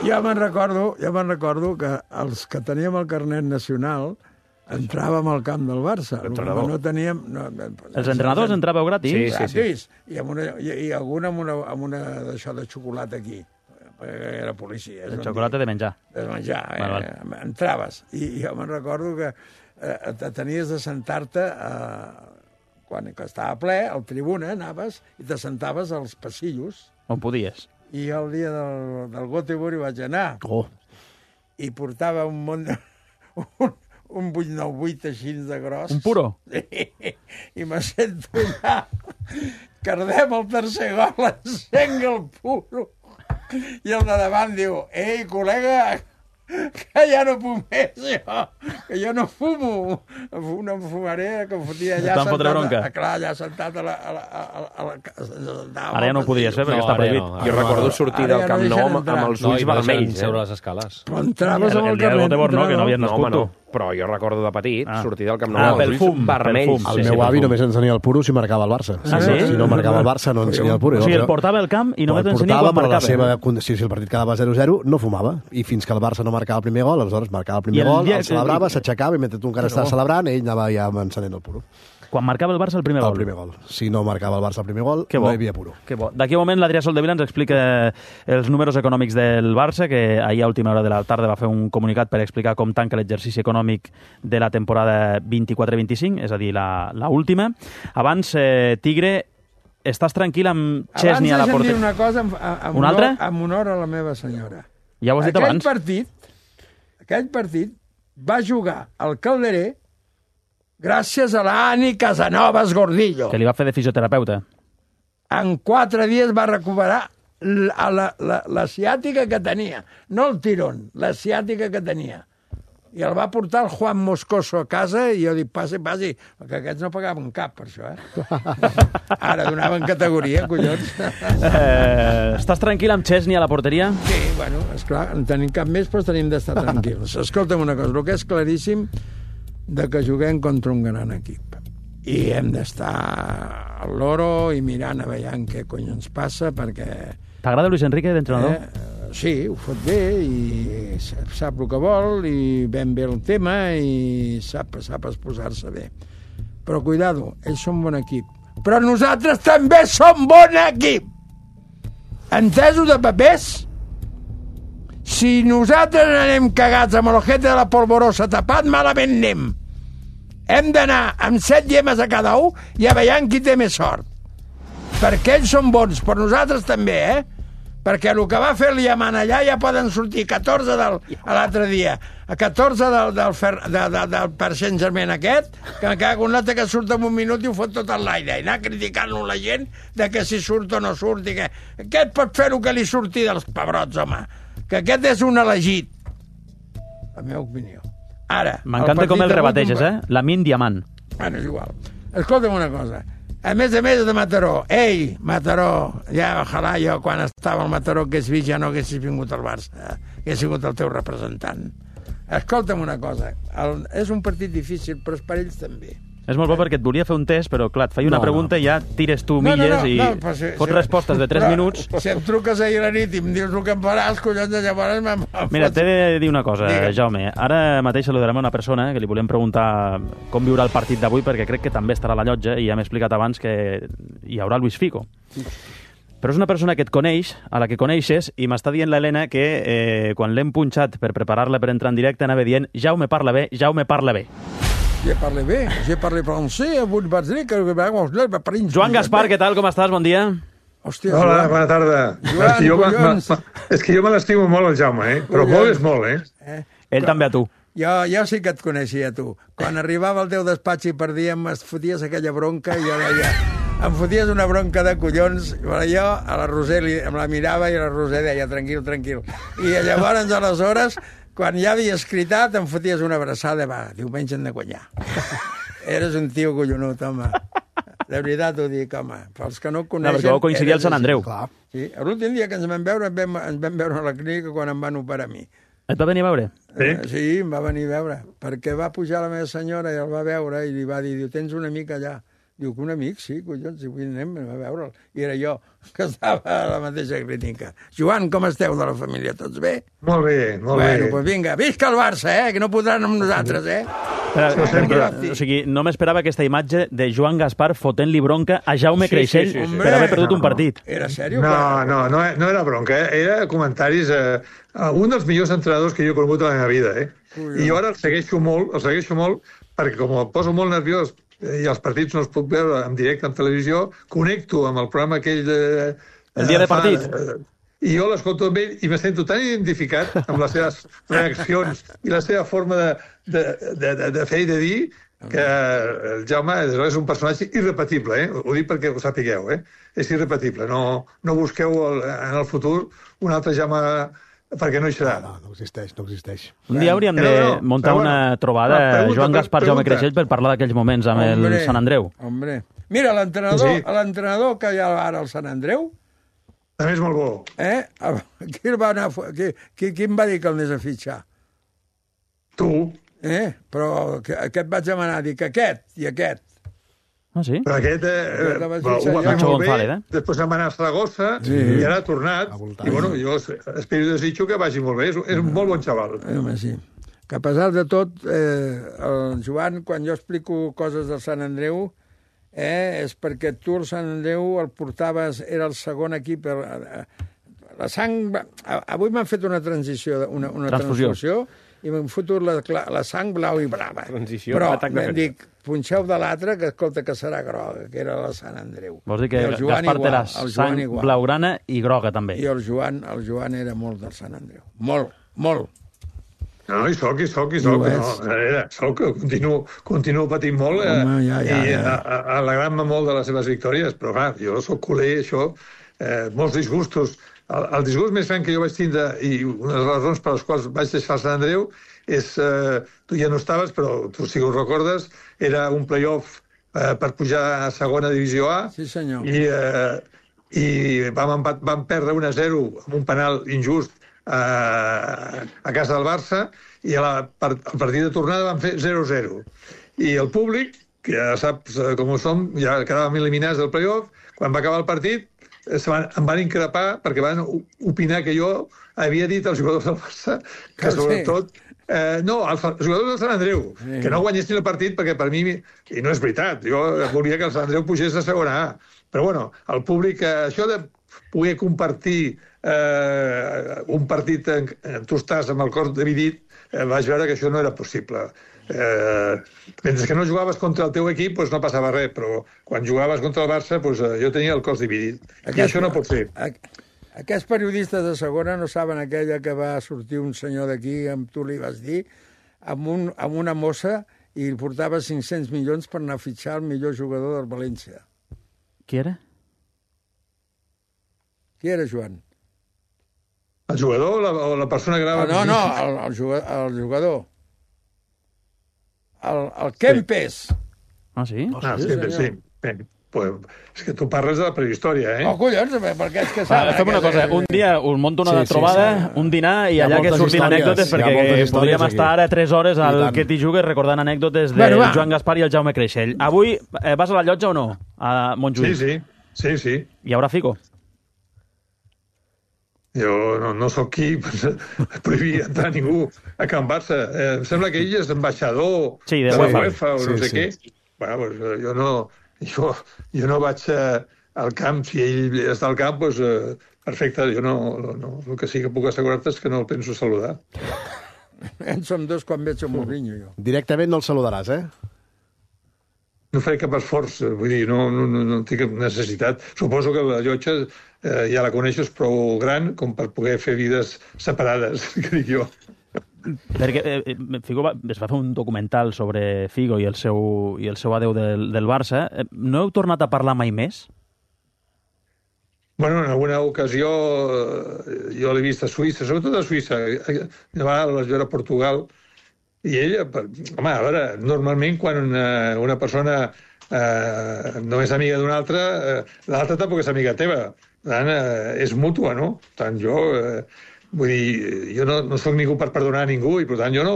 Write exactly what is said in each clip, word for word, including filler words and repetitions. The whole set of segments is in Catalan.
jo me'n recordo, jo me'n recordo que els que teníem el carnet nacional entràvem al camp del Barça. L'entrenador. No teníem... No, Els entrenadors entràveu gratis? Sí, sí, sí. gratis. I, amb una, i, i algun amb una, amb una d'això de xocolata aquí. Era policia. El xocolata de menjar. De menjar, eh? Val, val. Entraves. I jo me'n recordo que eh, tenies de sentar-te... Eh, quan estava ple, al tribuna, anaves i te sentaves als passillos. On podies? I jo el dia del, del Göteborg hi vaig anar. Oh. I portava un munt de... Un, un vuit nou vuit així de gros. Un puro? Sí. I me sento allà. Cardem el tercer gol, encenc el puro. I el de davant diu, ei, col·lega, que ja no puc més, jo, que jo no fumo, no em fumaré, que em fotia allà Estan fotre bronca. A, clar, allà sentat a la... A la, a la, a la Ara ja no ho podies fer, perquè No, està ara ja prohibit. no. Jo recordo sortir del Camp Nou amb, amb els No, ulls i no deixen vermells. seure Eh? les escales. Però entraves amb El el dia del carnet. Göteborg no, que no havies No, home, nascut no. tu. Però jo recordo de petit Ah. sortir del Camp Nou Ah, amb pel els ulls fum, pel vermells. fum. El Sí, meu sí, avi pel només ensenia el puro si marcava el Barça. Ah, si, sí? no, si no marcava el Barça, no ensenia el puro. O sigui, Jo- el portava al camp i només el t'ensenia portava, quan però la marcava. seva, si, si el partit quedava zero zero, no fumava. I fins que el Barça no marcava el primer gol, aleshores marcava el I primer el gol, dia el que- celebrava, s'aixecava i mentre tu encara estaves celebrant, ell anava ja encenent el puro. Quan marcava el Barça el primer El gol. primer gol. Si no marcava el Barça el primer gol, Que bo. no hi havia puro. Que bo. D'aquí a un moment l'Adrià Soldevila ens explica els números econòmics del Barça, que ahir a última hora de la tarda va fer un comunicat per explicar com tanca l'exercici econòmic de la temporada vint-i-quatre vint-i-cinc, és a dir, la, la última. Abans, eh, Tigre, estàs tranquil amb Chesney a la Abans deixa'm dir porteria? una cosa amb, amb, Una honor, altra? amb honor a la meva senyora. Ja ho has dit aquell abans. Partit, aquell partit va jugar al Calderé gràcies a l'Ani Casanovas Gordillo. Que li va fer de fisioterapeuta. En quatre dies va recuperar la, la, la, la ciàtica que tenia. No el tirón, la ciàtica que tenia. I el va portar el Juan Moscoso a casa i jo dic, passi, passi, perquè aquests no pagaven cap per això, eh? Ara donaven categoria, collons. Eh, estàs tranquil amb Chesney a la porteria? Sí, bueno, esclar, en tenim cap més, però tenim d'estar tranquils. Escolta'm una cosa, el que és claríssim de que juguem contra un gran equip. I hem d'estar al loro i mirant a veure què cony ens passa, perquè... T'agrada Luis Enrique d'entrenador? Eh, sí, ho fot bé i sap el que vol i ben bé el tema i sap, sap exposar-se bé. Però cuidado, ells són bon equip. Però nosaltres també som bon equip! Entesos de papers? Si nosaltres anem cagats amb l'ojete de la polvorosa tapat, malament anem. Hem d'anar amb set llemes a cada un i a veure qui té més sort. Perquè ells són bons, però nosaltres també, eh? Perquè el que va fer el Yaman allà ja poden sortir catorze del, a l'altre dia, a catorze del, del, fer, de, de, del per Saint-Germain aquest, que me cago en l'altre que surt en un minut i ho fot tot en l'aire, i anar criticant-lo la gent de que si surt o no surt, i que aquest pot fer el que li surti dels pebrots, home, que aquest és un elegit. La meva opinió. Ara... M'encanta com el rebateges, eh? Lamin Diamant. Bueno, és igual. Escolta'm una cosa. A més a més de Mataró. Ei, Mataró, ja, ojalà jo, quan estava al Mataró, que és vist, ja no haguessis vingut al Barça, hagués sigut el teu representant. Escolta'm una cosa. El, és un partit difícil, però és per ells també. És molt bo perquè et volia fer un test, però clar, et feia una No, pregunta i ja tires tu No, no, milles no, i no, però si- fots si- respostes de tres però, minuts. Si em truques ahir a la nit i em dius el que em faràs, collons, llavors me'n Mira, t'he de dir una cosa, Digue'm. Jaume. Ara mateix saludarem a una persona que li volem preguntar com viurà el partit d'avui, perquè crec que també estarà a la llotja i ja m'he explicat abans que hi haurà Luis Figo. Però és una persona que et coneix, a la que coneixes, i m'està dient l'Helena que eh, quan l'hem punxat per preparar-la per entrar en directe anava dient Jaume parla bé, Jaume parla bé. Je parle bé, je parle francès, avui vaig dir que... Joan Gaspar, què tal, com estàs? Bon dia. Hòstia, Hola, Joan. bona tarda. Joan, és, que jo, ma, ma, collons. ma, és que jo me l'estimo molt, el Jaume, eh? Però Collons. molt és molt, eh? Eh? Ell també a tu. Jo, jo sí que et coneixia, tu. Quan arribava al teu despatx i perdíem, es foties aquella bronca i jo deia... Em foties una bronca de collons, però jo a la Roser li, em la mirava i la Roser deia, tranquil, tranquil. I llavors, aleshores, quan ja havia escritat, em foties una abraçada, va, diumenge hem de guanyar. Eres un tio collonut, home. De veritat ho dic, home. Pels que no ho No, coneixen... perquè vau coincidir al eres Sant així. Andreu. Clar. Sí, l'últim dia que ens vam veure, ens vam, ens vam veure a la clínica quan em van operar a mi. Et va venir a veure? Sí? Eh, sí, em va venir a veure, perquè va pujar la meva senyora i el va veure i li va dir, diu, tens una mica allà. Diu que un amic, sí, collons, i avui anem a veure'l. I era jo, que estava a la mateixa clínica. Joan, com esteu de la família? Tots bé? Molt bé, molt bueno, bé. Bueno, doncs vinga, visca el Barça, eh? Que no podran amb nosaltres, eh? Però, perquè, o sigui, no m'esperava aquesta imatge de Joan Gaspar fotent-li bronca a Jaume Sí, Creixell sí, sí, sí. per haver perdut un partit. Era sèrio? No, no, no, no era bronca, eh? Era comentaris... Eh, un dels millors entrenadors que jo he conegut a la meva vida, eh? I jo ara el segueixo molt, el segueixo molt, perquè com el poso molt nerviós i els partits no els puc veure en directe en televisió, connecto amb el programa aquell de... El dia de partit. Eh, I jo l'escolto amb ell i me sento tan identificat amb les seves reaccions i la seva forma de, de, de, de, de fer i de dir que el Jaume és un personatge irrepetible, eh? Ho dic perquè ho sapigueu, eh? És irrepetible. No, no busqueu el, en el futur un altre Jaume perquè no hi serà. No, no existeix, no existeix. Un dia hauríem de No, no, muntar però una bueno, trobada va, pregunta, Joan Gaspar, pregunta. Jaume Creixell per parlar d'aquells moments amb Hombre, el Sant Andreu. Hombre. Mira, l'entrenador Sí. l'entrenador que hi ha ara al Sant Andreu, També és molt bo. eh? Qui, el va anar, a fu- qui, qui, qui em va dir que el anés a fitxar? Tu. Eh? Però que, aquest vaig demanar, dic, aquest i aquest. Ah, sí? Però aquest eh, Aquest la vaig va, fitxar ho va jo. fer Nacho molt bé, González, eh? després se'n va anar a Saragossa Sí. i ara ha tornat. A voltar. I bueno, jo espero i desitjo que vagi molt bé. És, és un molt bon xaval. Eh, home, sí. Que a pesar de tot, eh, el Joan, quan jo explico coses del Sant Andreu, eh, és perquè tu el Sant Andreu el portaves, era el segon equip. El, la sang... va- Avui m'han fet una transició, una, una Transfusió. transfusió, i m'han fotut la, la sang blau i brava. Transició, Però atac de em ferida. dic, punxeu de l'altre, que escolta que serà groga, que era la Sant Andreu. Vols dir que I el Joan Gaspar té igual, la el Joan sang igual. blaugrana i groga, també. I el Joan, el Joan era molt del Sant Andreu. Molt, molt. No, hi soc, hi soc, hi I soc. ho No, és. era, soc, continuo, continuo patint molt eh, Home, ja, ja, i ja. a- a- alegrant-me molt de les seves victòries, però clar, jo sóc culer, això, eh, molts disgustos. El, el disgust més gran que jo vaig tindre, i una de les raons per les quals vaig deixar el Sant Andreu, és, eh, tu ja no estaves, però tu sí que ho recordes, era un play-off eh, per pujar a segona divisió A, Sí, senyor. i, eh, i vam, empat, vam perdre un a zero amb un penal injust a, a casa del Barça, i a la, per, al partit de tornada van fer zero a zero. I el públic, que ja saps eh, com ho som, ja quedàvem eliminats del play-off, quan va acabar el partit eh, se van, em van increpar perquè van o- opinar que jo havia dit als jugadors del Barça que Que sí. sobretot Eh, no, els jugadors del Sant Andreu, Sí. que no guanyessin el partit perquè per mi, i no és veritat, jo volia que el Sant Andreu pugés a segona A, però bueno, el públic, eh, això de poder compartir eh, un partit en, en tu estàs amb el cor dividit, eh, vaig veure que això no era possible. Eh, mentre que no jugaves contra el teu equip doncs no passava res, però quan jugaves contra el Barça doncs, eh, jo tenia el cos dividit. I això no pot ser. Aqu- Aquests periodistes de segona no saben aquella que va sortir un senyor d'aquí, amb tu li vas dir, amb, un, amb una mossa i li portava cinc-cents milions per anar a fitxar el millor jugador del València. Qui era? Qui era, Joan? El jugador o la, o la persona que Ah, anava... no, no, el, el, jugador, el jugador. El, el Kempes. Ah, sí? Ah, sí, senyor. sí. Bé, pues, és que tu parles de la prehistòria, eh? Oh, collons, perquè és que Va, saben... fem una que- cosa, un dia us monto una Sí, sí, sí, trobada, sí. un dinar, i Hi ha allà que moltes surtin històries, anècdotes, hi ha perquè moltes històries podríem aquí. estar ara tres hores I al tant. que t'hi jugues recordant anècdotes del Bueno, va. Joan Gaspar i el Jaume Creixell. Avui eh, vas a la llotja o no? A Sí, Montjuïc. sí, sí, sí. Hi haurà fico? Jo no, no sóc qui per prohibir entrar ningú a Can Barça. Eh, em sembla que ell és ambaixador Sí, de de la UEFA. UEFA o no Sí, sé sí. què. Bueno, pues, eh, jo no, jo, jo no vaig eh, al camp. Si ell està al camp, doncs, eh, perfecte. Jo no, no, no, el que sí que puc assegurar-te és que no el penso saludar. En som dos quan veig un Mourinho, jo. Directament no el saludaràs, eh? No faré cap esforç, eh, vull dir, no, no, no, no tinc cap necessitat. Suposo que la llotja eh, ja la coneixes prou gran com per poder fer vides separades, que dic jo. Perquè eh, Figo va, es va fer un documental sobre Figo i el seu, i el seu adeu del, del Barça. Eh, No heu tornat a parlar mai més? Bueno, en alguna ocasió eh, jo l'he vist a Suïssa, sobretot a Suïssa. De vegades vaig veure a Portugal. I ella, per- home, a veure, normalment quan una, una persona eh, no és amiga d'una altra, eh, l'altra tampoc és amiga teva. Per tant, eh, és mútua, no? Per tant, jo... Eh, vull dir, jo no, no sóc ningú per perdonar a ningú i, per tant, jo no,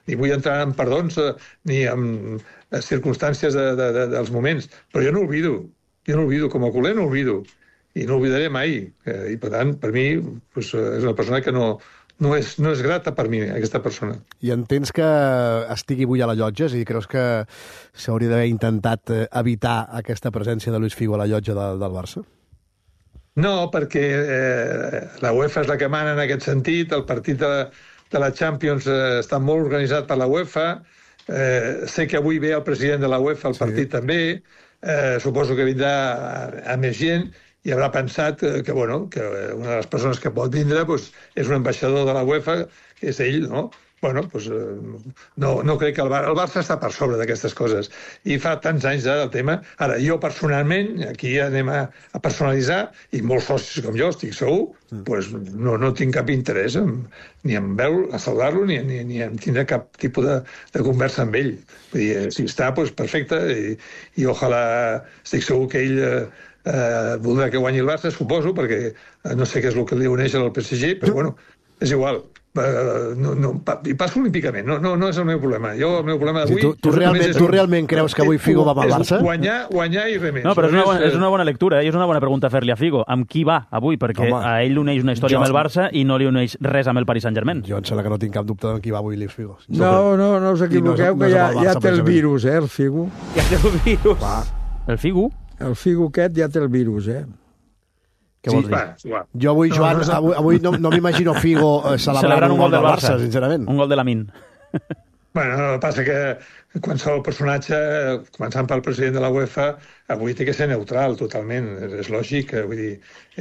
ni vull entrar en perdons eh, ni en circumstàncies de, de, de, dels moments, però jo no olvido, jo no olvido, com a culer no olvido, i no oblidaré mai, eh, i per tant, per mi, pues, és una persona que no, no, és, no és grata per mi, aquesta persona. I entens que estigui avui a la llotja? És a dir, creus que s'hauria d'haver intentat evitar aquesta presència de Luis Figo a la llotja de, del Barça? No, perquè eh, la UEFA és la que mana en aquest sentit, el partit de, de la Champions eh, està molt organitzat per la UEFA, eh, sé que avui ve el president de la UEFA al sí. partit també, eh, suposo que vindrà a, a més gent, i haurà pensat eh, que, bueno, que una de les persones que pot vindre pues, és un ambaixador de la UEFA, que és ell, no? Bueno, pues, eh, no, no crec que el, Bar el Barça està per sobre d'aquestes coses. I fa tants anys ja del tema. Ara, jo personalment, aquí anem a, a personalitzar, i molts socis com jo, estic segur, mm. pues, no, no tinc cap interès en, ni en veure, a saludar-lo, ni, ni, ni en tindre cap tipus de, de conversa amb ell. Vull dir, si està, pues, perfecte, i, i ojalà, estic segur que ell eh, eh, voldrà que guanyi el Barça, suposo, perquè eh, no sé què és el que li uneix al P S G, però bueno, és igual. Uh, no, no, i passo olímpicament, no, no, no és el meu problema. Jo, el meu problema d'avui... Sí, tu, tu, realment, tu realment creus que avui Figo va amb el Barça? Guanyar, guanyar i res més. No, però és una, bona, és una bona lectura, eh? És una bona pregunta fer-li a Figo. Amb qui va avui? Perquè Home, a ell li uneix una història jo... amb el Barça i no li uneix res amb el Paris Saint-Germain. Jo em sembla que no tinc cap dubte amb qui va avui Luis Figo. No, no, no us equivoqueu, no, no que ja, Barça, ja té el virus, eh, el Figo. Ja té el virus. Va. El Figo? El Figo aquest ja té el virus, eh? Què vols dir? Va, va. Jo avui, Joan, no, no, avui, avui no, no m'imagino Figo eh, celebrant, celebrant un gol del Barça, Barça, sincerament. Un gol de Lamin. Bueno, no, passa que qualsevol personatge, començant pel president de la UEFA, avui té que ser neutral, totalment. És, és lògic, vull dir,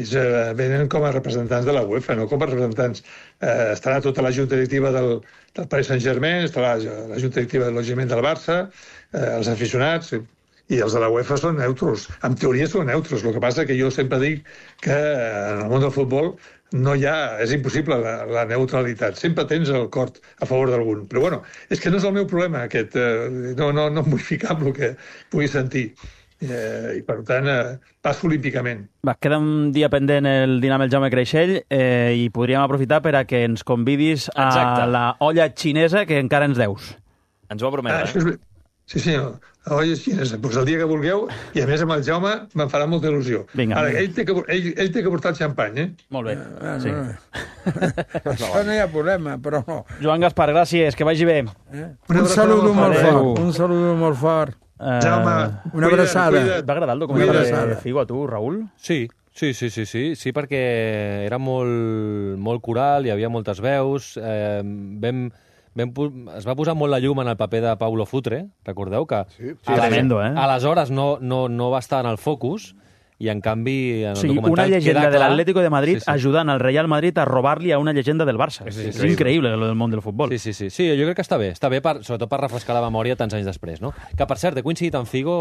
ells eh, venen com a representants de la UEFA, no com a representants. Eh, estarà tota la junta directiva del, del Paris Saint-Germain, estarà la, la junta directiva del logiment del Barça, eh, els aficionats... I els de la UEFA són neutros. En teoria són neutros. El que passa que jo sempre dic que en el món del futbol no hi ha... És impossible la, la neutralitat. Sempre tens el cor a favor d'algun. Però bueno, és que no és el meu problema, aquest. Eh, no, no, no em vull ficar amb el que pugui sentir. Eh, I per tant, eh, passo olímpicament. Va, queda un dia pendent el dinar amb el Jaume Creixell eh, i podríem aprofitar per a que ens convidis a Exacte. La olla xinesa que encara ens deus. Ens ho va prometre, ah, eh? És... Sí, senyor. La olla xinesa. Doncs el dia que vulgueu, i a més amb el Jaume me'n farà molta il·lusió. Vinga, Ara, ell té, que, ell, ell té que portar el xampany, eh? Molt bé. Ah, sí. no. Això no hi ha problema, però no. Joan Gaspar, gràcies, que vagi bé. Eh? Un saludo molt fort. Un saludo molt fort. Uh, Jaume, una abraçada. Et va agradar el documental de Figo a tu, Raül? Sí, sí, sí, sí, sí, sí perquè era molt, molt coral, hi havia moltes veus, eh, vam... Vam, es va posar molt la llum en el paper de Paulo Futre, recordeu? Que sí, sí, tremendo, eh? Aleshores no, no, no va estar en el focus i, en canvi, en el sí, documental una llegenda queda de clar... l'Atlético de Madrid sí, sí. ajudant al Real Madrid a robar-li a una llegenda del Barça. Sí, sí, és increïble, lo del món del futbol. Sí, sí, sí, sí, jo crec que està bé. Està bé, per, sobretot per refrescar la memòria tants anys després, no? Que, per cert, he coincidit amb Figo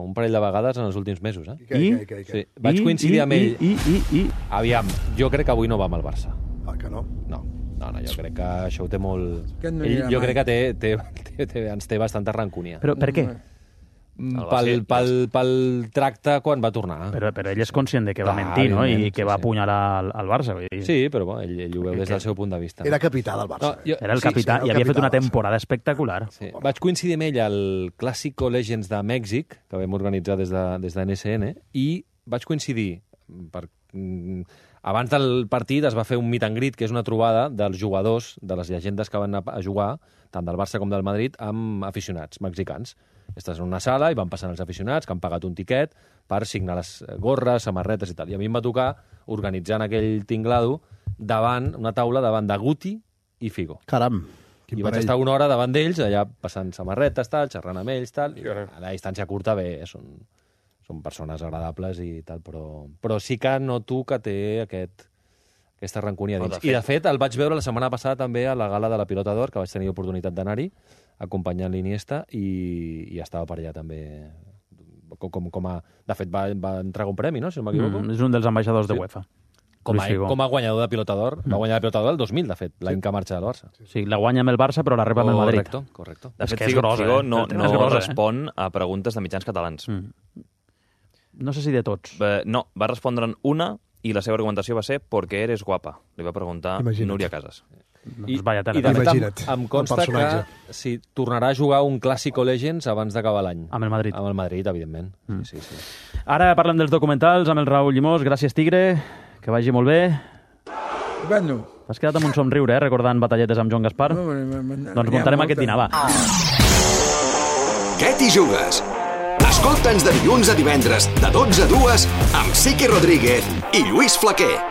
un parell de vegades en els últims mesos, eh? I? I? I? Sí, vaig coincidir I, amb ell. I, i, i, i. Aviam, jo crec que avui no va amb el Barça. Ah, que no? No. No, no, jo crec que això ho té molt... No ell, jo crec que té, té, té, té, ens té bastanta rancúnia. Però per què? Pel, pel, pel tracte quan va tornar. Però, però ell és conscient de que va Clar, mentir, no? I que sí, va sí. apunyalar al, al Barça. Vull dir. Sí, però bo, ell, ell ho veu des del seu punt de vista. Era capità del Barça. No, jo, Era el sí, capità sí, i el havia capità fet una del Barça. temporada espectacular. Sí. Vaig coincidir amb ell al Clàssico Legends de Mèxic, que vam organitzar des de, des de N S N, i vaig coincidir per... Abans del partit es va fer un meet and greet, que és una trobada dels jugadors, de les llegendes que van a jugar, tant del Barça com del Madrid, amb aficionats mexicans. Estàs en una sala i van passant els aficionats que han pagat un tiquet per signar les gorres, samarretes i tal. I a mi em va tocar organitzar en aquell tinglado davant, una taula davant de Guti i Figo. Caram. I vaig estar una hora davant d'ells, allà passant samarretes, tal, xerrant amb ells, tal. I a la distància curta, bé, són, són persones agradables i tal, però, però sí que noto que té aquest, aquesta rancúnia dins. I, de fet, el vaig veure la setmana passada també a la gala de la Pilota d'Or, que vaig tenir oportunitat d'anar-hi, acompanyant l'Iniesta, i, i estava per allà també... Com, com a, de fet, va, va entregar un premi, no?, si no m'equivoco. Mm, és un dels ambaixadors sí. de UEFA. Com a, com a guanyador de Pilota d'Or. Mm. Va guanyar la Pilota d'Or el dos mil, de fet, l'any sí. que marxa del Barça. Sí, la guanya amb el Barça, però la rep amb el Madrid. Correcte, correcte. De és fet, que és Figo, grosa, Figo eh? no, no grosa, respon eh? a preguntes de mitjans catalans. Mm. No sé si de tots. Eh, no, va respondre'n una i la seva argumentació va ser «Porque eres guapa», li va preguntar Imagina't. Núria Casas. I, vaya tela, i de fet, em, Imagina't, em consta el personatge. que sí, tornarà a jugar un Clásico Legends abans d'acabar l'any. Amb el Madrid. Amb el Madrid, evidentment. Mm. Sí, sí, sí. Ara parlem dels documentals amb el Raül Llimós. Gràcies, Tigre. Que vagi molt bé. Bueno. T'has quedat amb un somriure, eh, recordant batalletes amb Joan Gaspar? No, no, no, no, doncs muntarem aquest dinar, va. Què t'hi jugues? Escolta'ns de dilluns a divendres, de dotze a dues, amb Siqui Rodríguez i Lluís Flaquer.